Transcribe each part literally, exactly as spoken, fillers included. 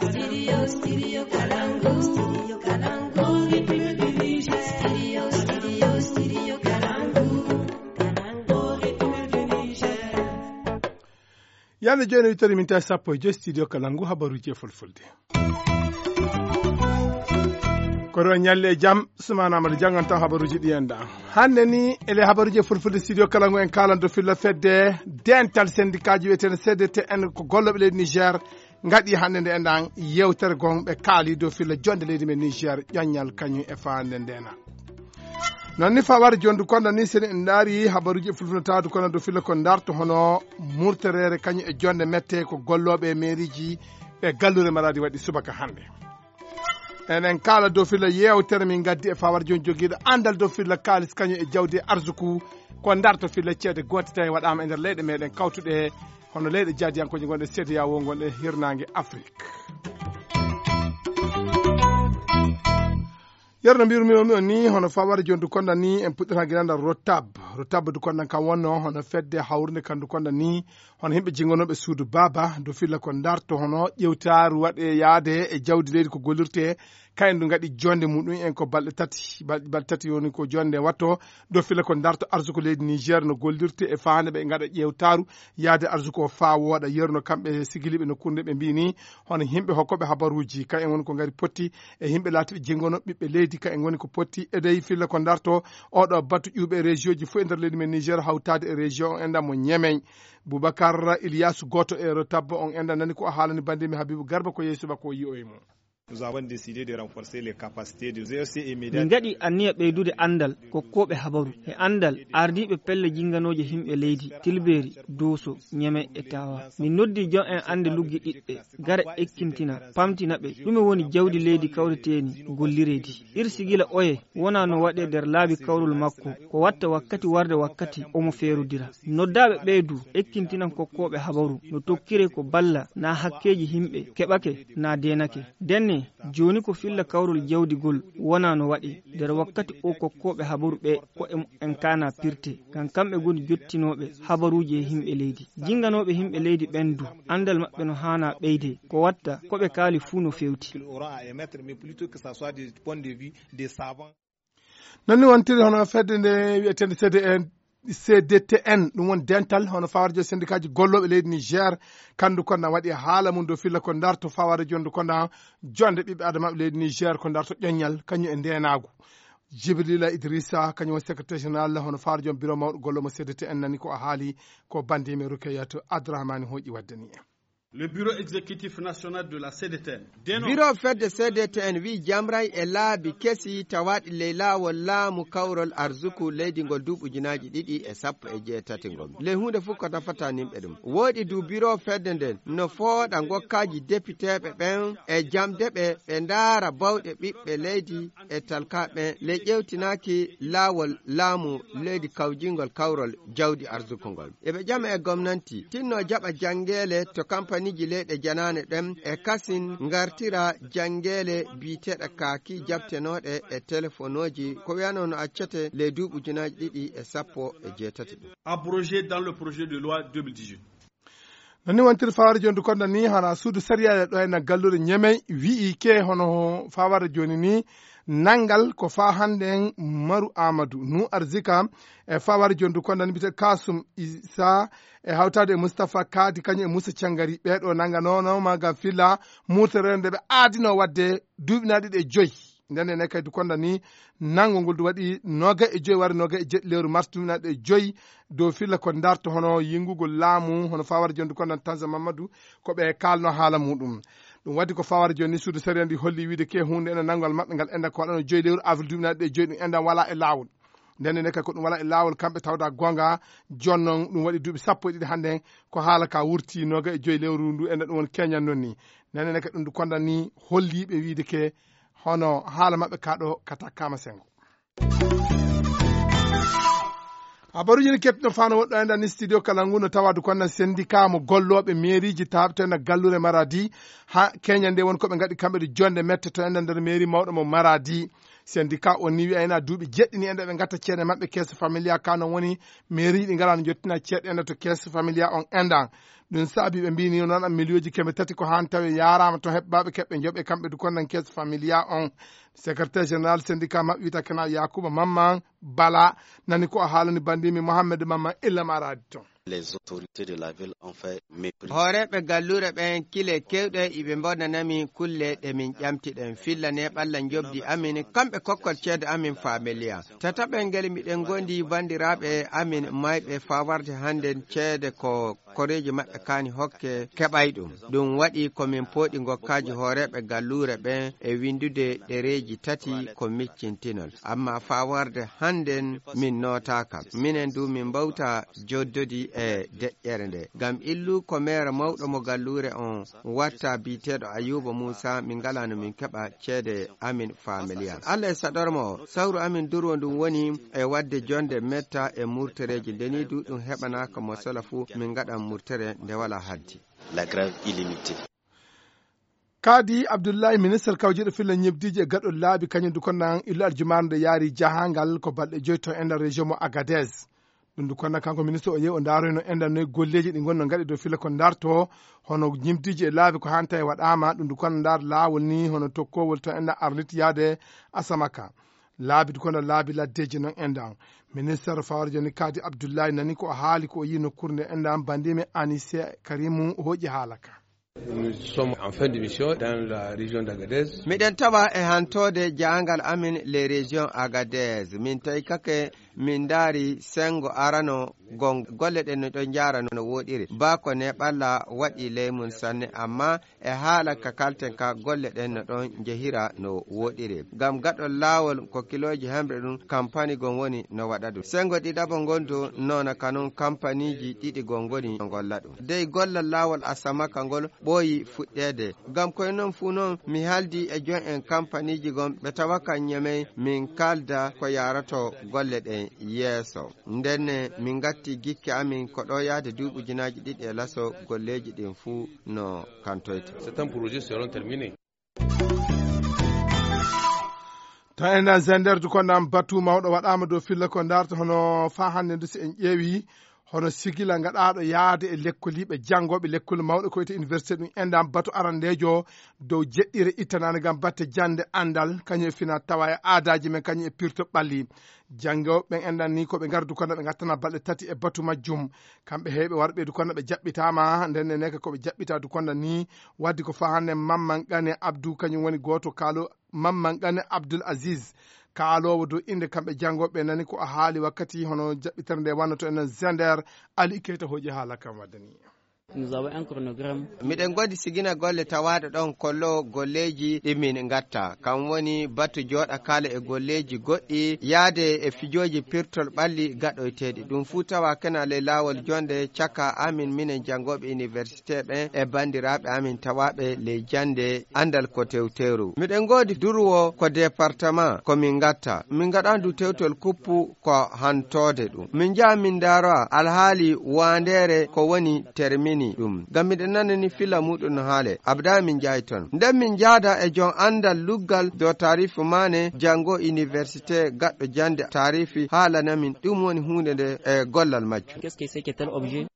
Studio, studio Kalangu, studio Kalangu, au rythme du Niger. Studio, studio, studio Kalangu, Kalangu, au rythme du Niger. Yande jooni, wittori min tawi sappo e joyi studio Kalangu, habaruuji e fulfulde. Ko ɗo ñalle e jam, Sumaana Amadu janngan taw habaruuji ɗi en ɗan. Hannde ni, ele habaruuji e fulfulde studio Kalangu en kaalan dow filla fedde dental sendikaaji wiyeteende C D T N ko gollooɓe leydi Niger ngaɗi hannde nde en ɗan yewtere gonɓe kaali dow filla jonde leydi men Niger ƴoññal kañum e faande ndena. Non ni fawar jondu konda ni seni en ndaari habaruuji e fulfulde tawdu kono dow filla ko ndarto hono murterere kañum e jonde mette ko gollooɓe e meeriji ɓe galluure Maradi waɗi subaka hannde. Enen kala dow filla yewtere min gaddi e fawar jon jogiiɗo andal dow filla kaalis kañum e jawdi e arsuku ko ndarto filla ceede goote tawi waɗaama e nder leyɗe meɗen kawtuɗe hono leyɗe jaadiyankooje gonɗe C D A O gonɗe hirnaange Afrik. Yerno mbirumi on ni hono fawar jondu konda ni en puɗɗata ginandal rotab rotab du kondan kan wonno hono fedde hawrunde kandu konda ni hono himɓe jingonooɓe suudu baaba dow filla ko ndarto hono ƴewtaaru waɗe yaade e jawdi leydi ko gollirte kayen du ngaɗi jonde muɗum en ko balɗe tati balɗe tati woni ko jonde watto dow filla ko ndarto arsuko leydi Niger no gollirte e faande ɓe ngaɗa ƴewtaaru yaade arsuko o faa wooɗa yerno kamɓe sigiliɓe no kurnde ɓe mbini hono himɓe hokkoɓe habaruuji kayen woni ko ngari potti e himɓe laatiɓe jingono ɓiɓɓe leydi kayen woni ko potti edey filla ko ndarto oɗo batu ƴuuɓe e région ji fof e nder leydi men Niger hawtaade e région o enɗan mo Ñemey. Boubacar Ilyasu gooto e rotabbo on enɗan nani ko o haalani bandimi Habibu Garba ko yeeso makko o yi'oyi mo. Nous avons décidé de renforcer les capacités de G R C et Min médias. Ngaɗi anniya ɓeydude anndal kokkooɓe habaru e anndal ardiiɓe pelle jinnganooje yimɓe leydi, Tilbeeri, Dooso, Ñeme e Taawa. Min noddi jon en annde luggi ɗiɗɗe, gara ekkintina, pamtina ɓe ɗume woni jawdi leydi kawreteeni gollireedi. Irsigila oye wonaa no waɗee nder laabi kawrol makko, ko watta wakkati warde wakkati omo feerudira. Noddaaɓe ɓee du ekkintinan kokkooɓe habaru no tokkiree ko balla naa hakkeeji yimɓe keɓake naa deenake. Ndenne, jooni ko filla kawrol jawdi gol wonaa no waɗee. Nder wakkati o kokkooɓe habaru ɓee ko'e mu'en kaanaa pirtee, ngam kamɓe ngoni jottinooɓe habaruuji e yimɓe leydi. Jinnganooɓe yimɓe leydi ɓen du, anndal maɓɓe no haanaa ɓeydee, ko watta ko ɓe kaali fuu no feewti. Qu'il aura à émettre, mais plutôt que ça soit des points de vue des savants. Non ni wontiri hono fedde nde wiyeteende C D N, C D T N, ɗum woni dental hono fawarjo sendikaaji gollooɓe leydi Niger, kandu konda waɗi haala mum dow filla ko ndarto fawarjo ndu konda jonde ɓiɓɓe adamaaɓe leydi Niger ko ndarto ƴoññal kañum e ndeenaagu. Jibrila Idrissa kañum woni secrétaire général hono fawarjo biro mawɗo golloomo C D T N nani ko o haali ko bandimi Rukayatu Abdourahmane hooƴi waddani en. Le bureau exécutif national de la C D T N. Biro fedde C D T N wi'i jamray e laabi kesi tawaaɗi ley laawol laamu kawrol arsuku leydi ngol duuɓi ujunaaji ɗiɗi e sappo e jeetati ngol. Ley huunde fof ko nafata nimɓe ɗum. Wooɗi du biro fedde nden no fooɗa ngokkaaji depiteeɓe ɓen e jamde ɓe ɓe ndaara bawɗe ɓiɓɓe leydi e talkaaɓe ɓen ley ƴeewtinaaki laawol laamu leydi kawjingol kawrol jawdi arsuku ngol. Eɓe ƴama e gomnanti tinno jaɓa janngeele to kampaniiji leyɗe janaane ɗen e kasin ngartira janngeele biyeteeɗe kaaki jaɓtenooɗe e telefonooji ko wiyanoo no accete ley duuɓi ujunaaji ɗiɗi e sappo e jeetati ɗum. Abrogé dans le projet de loi deux mille dix-huit. Non ni wontiri faware joni du konda ni hana suudu sariya ɗo e na galluure Ñemey wi'i ke hono faware joni ni nanngal ko faa hannde en Maru Amadou Nu Arzika e fawar jondu konda ni mbiyetee Kasum Isa e hawtaade e Mustapha Kadi kañum e Musa Cangari ɓee ɗo nannganoonooma ngam filla murtere nde ɓe aadinoo waɗde duuɓi na ɗiɗi e joyi. Nden ene kadi konda ni nanngo ngol du waɗi noogay e joyi wari noogay e jeɗɗi lewru mars duuɓi na ɗiɗi e joyi dow filla ko ndarto hono yingugol laamu hono fawar jondu konda ni Tanza Mamadou ko ɓe kaalno haala muɗum. Ɗum waɗi ko fawar joni ni suudu sariya ndi holli wiide ke hunde ene nanngal maɓɓe ngal enda ko waɗano joyi lewru avril duuɓi na ɗiɗi e joyi ɗum enda wala e laawol. Nden ene kadi ko ɗum wala e laawol kamɓe tawda gonga jonnon ɗum waɗi duuɓi sappo e ɗiɗi hannde ko haala ka wurti noogay e joyi lewru ndu enda ɗum woni keñan non ni. Nden ene kadi ɗum du konda ni holliiɓe wiide ke hono haala maɓɓe ka ɗo kata kama sengo. Habaruuji ne keɓtino fano woɗɗo enda ni studio kala ngu no tawadu konnan sendika mo gollooɓe meeriji taaɓtena galluure Maradi ha keña nde won ko ɓe ngaɗi kamɓe ɗo jonde mette to enda nder meeri mawɗo mo Maradi. Syndicat on ni wi'ayna duuɓi jeɗɗi ni enda ɓe ngatta ceede maɓɓe keeso familia ka non woni mairie ɗi ngala no jottina ceede enda to keeso familia on endan. Ɗum saabi ɓe mbini noon an miliyooji keme tati ko han tawi yaarama to heɓɓaaɓe keɓɓe joɓe kamɓe du konnan keeso familia on. Secrétaire général syndicat maɓɓe wiyta kena Yakuba Mamman Bala nani ko o haalani bandimi Mohamed Mamman illa ma raadi ton. Les autorités de la ville ont fait mépris. Hooreeɓe galluure ɓen kile kewɗe iɓe mbonanami kulle ɗe min ƴamtiɗen fillane ɓalla njobdi amin kamɓe kokkol ceede amin familia. Tataɓel ngel miɗen gondi banndiraaɓe amin mayɓe faa warde hannden ceede ko koreeji maɓɓe kaani hokke keɓay ɗum. Ɗum waɗi ko min pooɗi ngokkaaji hooreeɓe galluure ɓen e winndude ɗereeji tati ko miccintinol. Amma faa warde hannden min nootaaka. Minen du min mbawta joddodi e deƴƴere nde. Ngam illu ko meere mawɗo mo galluure on watta biyeteeɗo Ayuba Muusa min ngalaa no min keɓa ceede amin familial. Allah e saɗorma o, sawru amin durwo ndun woni e waɗde jonde metta e murtereeji. Nde ni du ɗum heɓanaaka mo sala fuu, min ngaɗan murtere nde walaa haddi. La grève illimitée. Kadi Abdullahi, ministre kawjiiɗo filla ñebdiiji e gaɗol laabi, kañum du konnan illu aljumaare nde yaari jahangal ko balɗe joyi to e nder région mo Agadez. Ɗum du konnan kanko ministre o yehi o ndaaroyno enɗan noye golleeji ɗi ngonno ngaɗi dow filla ko ndarto, hono ñimdiiji e laabi ko hanta e waɗaama, ɗum du konnan ndaar laawol ni hono tokkowol to enɗan Arlit yaade Asamaka. Laabi du konnan laabi laddeeji non enɗan. Ministre Fawar Joni Kadi Abdullahi nani ko o haali ko o yi nokkuure nde enɗan bandimi Anise Karimu hooƴi haala ka. Nous sommes en fin de mission dans la région d'Agadez. Miɗen tawa e hantoode jaangal amin les régions Agadez. Min tawi kake min ndaari sengo arano gon golle ɗen no ɗon njaara no woɗiri. Ba ko ne ɓalla waɗi ley mum sanne, amma e haala ka kalten ka golle ɗen no ɗon njehira no woɗiri. Ngam gaɗol laawol ko kilooji hemre ɗum kampani gon woni no waɗa ɗum. Sengo ɗiɗaɓo ngon du noona kanun kampaniiji ɗiɗi gon ngoni no ngolla ɗum. Dey gollal laawol Asamaka ngol ɓooyi fuɗɗeede. Ngam koye non fuu non mi haaldi e joom en kampaniiji gon ɓe tawa kan Ñamey min kaalda ko yaarato golle ɗen yeeso. Ndenne min ngatti gikke amin ko ɗo yahde duuɓi ujunaaji ɗiɗi e laso golleeji ɗin fuu no kantoyta. Certains projets seront terminés. To enɗan Zender du konnan batu mawɗo waɗaama dow filla ko ndarta hono faa hannde ndu si en ƴeewi hono sigila ngaɗaaɗo yahde e lekkoliiɓe janngooɓe lekkol mawɗo ko wiyetee université ɗum enɗan batu arandeejo dow jeɗɗire ittanaande ngam batte jannde anndal kañum e fina tawa e aadaaji men kañum e pirto ɓalli. Janngooɓe ɓen enɗan ni ko ɓe ngardu kono ɓe ngattana balɗe tati e batu majjum. Kamɓe heewɓe warɓe du kono ɓe jaɓɓitaama ndenne neka ko ɓe jaɓɓita du kono ni waddi ko faa hannde Mamman Gane Abdou kañum woni gooto kaalo Mamman Gane Abdoul Aziz kaaloowo dow innde kamɓe janngooɓe nani ko o haali wakkati hono jaɓɓitere nde wannoto enen Zender. Ali Keita hooƴi haala kam waddani. Nous avons un chronogramme. Miɗen godi sigina golle tawaaɗo ɗon kollo golleeji ɗi min ngatta kam woni batu jooɗa kala e golleeji goɗɗi yaade e fijooji pirtol ɓalli gaɗoyteeɗi ɗum fuu tawa kena ley laawol jonde caka amin minen janngooɓe université ɓen e banndiraaɓe amin tawaaɓe ley jannde anndal ko tewteeru. Miɗen ngoodi durwo ko département ko min ngatta. Min ngaɗandu tewtol kuppu ko hantoode ɗum. Min njaha min ndaaro alhaali waandeere ko woni termini ɗum. Ngam miɗen nanani filla muɗum no haale. Abada min njahay ton. Nden min njaada e jom anndal luggal dow taarifi maane janngo université gaɗɗo jannde taarifi haalana min ɗum woni huunde nde e gollal majjum. Qu'est-ce que c'est que tel objet?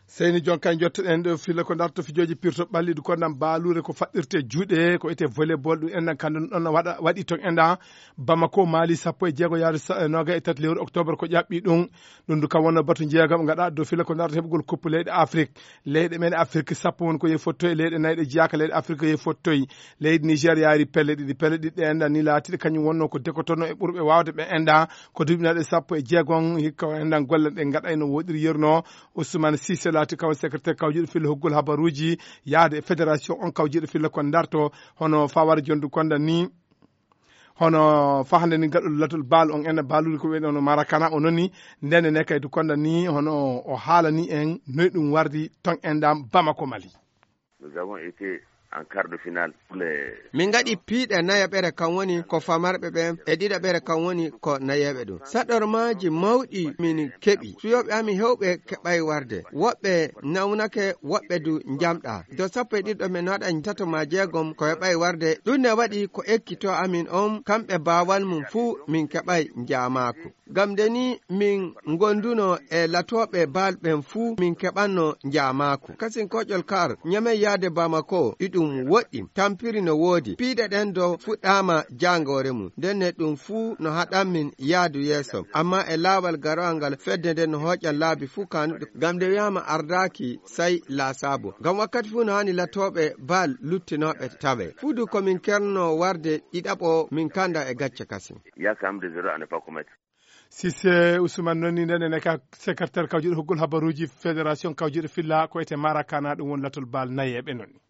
Seyni jon kay jottoɗen ɗo filla ko darto fijooji pirto ɓalliɗi ko nan baaluure ko faɗɗirte juuɗe ko wiyetee volleyball ɗum enɗan kandu ɗon waɗa waɗi ton enɗan Bamako Mali sappo e jeego yaaru noga e tati lewru octobre ko ƴaɓɓi ɗum. Ɗum du kam wonno batu jeegom gaɗa dow filla ko darto heɓugol koppu leyɗe Afrik. Leyɗe men Afrik sappo woni ko yehi fottoy leyɗe nayi ɗe jeyaka leyɗe Afrik ko yehi fottoy. Leydi Niger yaari pelle ɗiɗi pelle ɗiɗi ɗe enɗan ni laatiɗe kañum wonno ko dekotono e ɓurɓe wawde ɓe enɗan ko duuɓi naɗe sappo e jeegom hikka o enɗan golle ɗe gaɗayno woɗiri yerno. Ousmane Cissé laati kaw secrétaire kawjiiɗo filla hoggol habaruuji yahde e fédération on kawjiiɗo filla ko darto hono fawara jondu konda ni hono fahande ni gaɗol latol baal on enɗan baaluɗi ko wiyɗon marakana o noni ndene ne kay du konda ni hono o haalani en noy ɗum wardi ton enɗan Bamako Mali. Nous avons été en quart de finale pour les. Min ngaɗi piiɗe nayaɓere, kam woni ko famarɓe ɓen, e ɗiɗaɓere, kam woni ko nayeeɓe ɗum. Saɗormaaji mawɗi min keɓi. Fiyooɓe amin heewɓe keɓay warde. Woɓɓe nawnake, woɓɓe du njamɗaa. Do sappo e ɗiɗo men waɗa tato maa jeegom ko heɓay warde. Ɗum ne waɗi ko ekkito amin on, kamɓe baawal mum fuu min keɓay njaamaaku. Ngam nde ni min ngonduno e latooɓe baal ɓen fuu, min keɓanno njaamaaku. Kasin koƴol kar, Ñamey yaade Bamako, iɗum woɗɗi, tampiri no woodi. Piiɗe ɗen do fuɗɗaama jaangoore mum. Nden ne ɗum fuu no haɗan min yaadu yeeso. Amma e laawal garowal ngal, fedde nden no hooƴan laabi fuu kaanuɗi. Ngam nde wi'aama ardaaki, sai laasaabu. Ngam wakkati fuu no haani latooɓe baal luttinooɓe tawe. Fuu du ko min kerno warde ɗiɗaɓo, min kanda e gacce kasin. Il y a quand même des erreurs à ne pas commettre. Sise Ousmane noon ni, nden ene ka secrétaire kawjuɗo hoggol habaruuji fédération kawjuɗo filla ko wiyetee Marakana, ɗum woni latol baal nayeeɓe noon ni.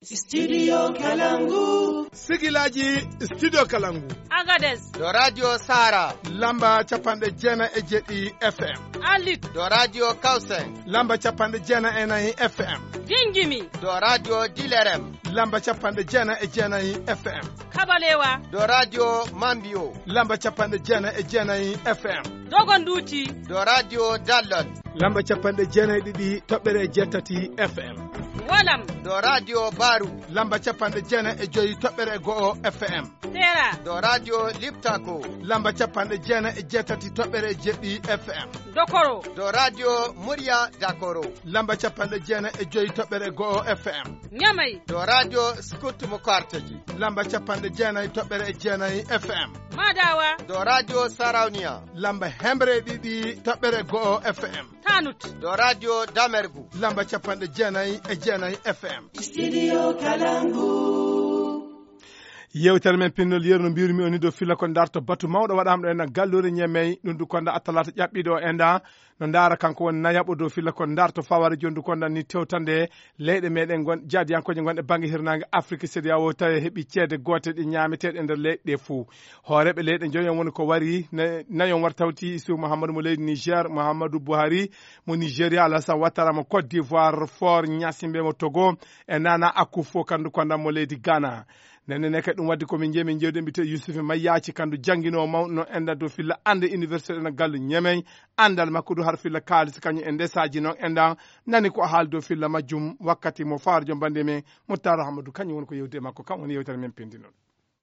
Studio Kalangu. Sigilaaji Studio Kalangu. Agadez. Do Radio Sara. Lamba capanɗe jeenayi e jeeɗiɗi F M. Alit. Do Radio Kausen. Lamba capanɗe jeenayi e nayi F M. Dingimi. Do Radio Dilerem. Lamba capanɗe jeenayi e jeenayi F M. Kabalewa. Do Radio Mambio. Lamba capanɗe jeenayi e jeenayi F M. Dogonduti. Do Radio Dallon. Lamba capanɗe jeenayi e ɗiɗi toɓɓere jeetati F M. Walam. Do Radio Baru. Lamba capanɗe jeenayi e joyi toɓɓere go'o F M. Tera. Do Radio Liptako. Lamba capanɗe jeenayi e jeetati toɓɓere jeeɗiɗi F M. Dokoro. Do Radio Murya Dakoro. Lamba capanɗe jeenayi e joyi toɓɓere go'o F M. Ñamay. Do Radio Scout mo Karteji. Lamba capanɗe jeenayi toɓɓere e jeenayi F M. Madawa. Do Radio Sarauniya. Lamba hemre e ɗiɗi toɓɓere go'o F M. Tanut. Do Radio Damergu. Lamba capanɗe jeenayi e jeenayi F M. Studio Kalangu. Yewtere men pinnol yeru no mbirumi on ni dow filla ko darto batu mawɗo waɗaama ɗo en galluure Ñamey, ɗum du konda attalata ƴaɓɓiɗo o enda. No ndaara kanko woni nayaɓo dow filla ko darto faware jondu konda ni tewtande leyɗe meɗen gon-, jaadiyankooje gonɗe bannge hirnaange Afrik, CEDEAO, tawi heɓi ceede goote ɗe ñaameteeɗe e nder leyɗe ɗe fuu. Hooreeɓe leyɗe njoyon woni ko wari, na-, nayon war tawti Isu Muhammadu mo leydi Niger, Muhammadu Buhari mo Nigeria, Alassane Ouattara mo Côte d'Ivoire, Faure Gnassingbé mo Togo, e Nana Akufo-Addo kandu konda mo leydi Ghana. Nenne ne kadi ɗum waddi ko min jeeyi min jewde mbite Yusuf Mayyaci kandu jannginoowo mawɗo no enda dow filla annde université ɗo gallu Ñamey, anndal makko du har filla kaalis kañum e ndesaaji noon enda nani ko haali dow filla majjum wakkati mo faarjo bannde men Moutar Ahmadou kañum woni ko yewde makko kam woni yewtere men pindinol.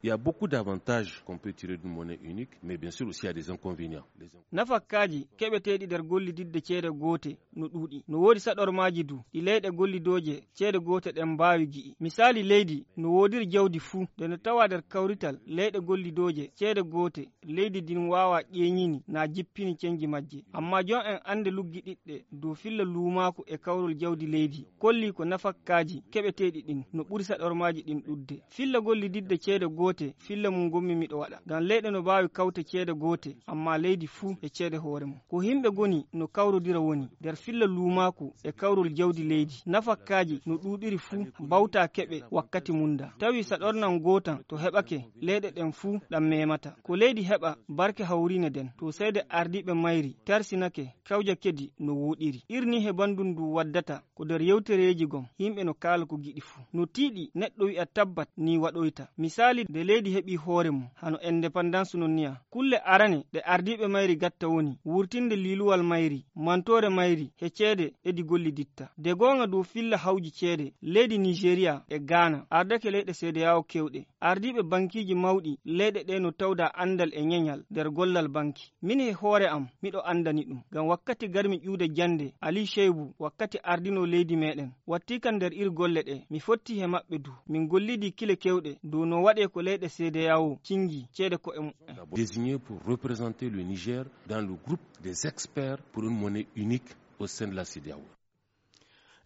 Il y a beaucoup d'avantages qu'on peut tirer d'une monnaie unique, mais bien sûr aussi il y a des inconvénients. Les in- Nafakkaaji keɓeteeɗi nder gollididde ceede goote no ɗuuɗi. No woodi saɗormaaji du ɗi leyɗe gollidooje ceede goote ɗen mbaawi gi'i. Misaali leydi no woodiri jawdi fuu, nde no tawa nder kawrital leyɗe gollidooje ceede goote, leydi ndin waawaa ƴeeñini naa jippini cenji majje. Ammaa jon en annde luggiɗiɗɗe dow filla luumaaku e kawrol jawdi leydi, kollii ko nafakkaaji keɓeteeɗi ɗin no ɓuri saɗormaaji ɗin ɗuuɗde. Filla gollididde ceede goote, filla mum ngonmi miɗo waɗa. Ngam leyɗe no mbaawi kawte ceede goote, ammaa leydi fuu e ceede hoore mum. Ko yimɓe ngoni no kawrodira woni nder filla luumaaku e kawrol jawdi leydi. Nafakkaaji no ɗuuɗiri fuu mbawtaa keɓe wakkati mum nda. Tawi saɗornan ngootan to heɓake, leyɗe ɗen fuu ɗan memata. Ko leydi heɓa barke hawriine nden, to seede ardiiɓe mayri tarsinake, kawja kedi no wooɗiri. Irni he banndun ndu waddata ko nder yewtereeji gon, yimɓe no kaala ko giɗi fuu. No tiiɗi neɗɗo wi'a tabbat ni waɗoyta. Misaali, nde leydi heɓi hoore mum, hano indépendance non niya. Kulle arane ɗe ardiiɓe mayri gatta woni wurtinde liiluwal mayri, mantoore mayri, he ceede ɗe ɗi golliditta. De goonga dow filla hawji ceede, leydi Nigeria e Ghana ardake leyɗe CEDEAO kewɗe. Ardiiɓe bankiiji mawɗi leyɗe ɗe no tawda anndal e ñeñal nder gollal banki. Min he hoore am, miɗo anndani ɗum. Ngam wakkati garmi ƴuwde jannde, Ali Shaibu, wakkati ardinoo leydi meɗen, wattii kan nder ir golle ɗe. Mi fottii he maɓɓe du. Min gollidii kile kewɗe dow no waɗee ko leyɗe CEDEAO cingi ceede ko'e muɓɓen. Désigné pour représenter le Niger dans le groupe des experts pour une monnaie unique au sein de la CEDEAO.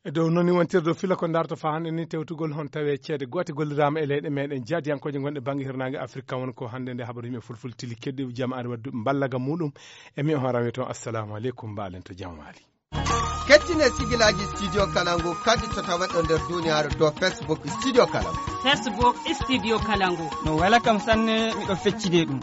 E dow noon ni wontirde fila ko darto faa hannde ni tewtugol hon tawee ceede goote golliraama e leyɗe meɗen jaadiyankooje gonɗe bannge hirnaange Afirka. Won ko hannde nde habaru yimɓe fulfulde tili keddiiɓe jam ari waddu mballaga muɗum. E mi on rawi toon, assalamu aleykum, mbaalen to jam waali. Kettine sigilaaji Studio Kalangu kadi to taweɗo nder duniyaaru dow Facebook Studio Kalangu. Facebook Studio Kalangu. No wela kam sanne, miɗo feccide ɗum.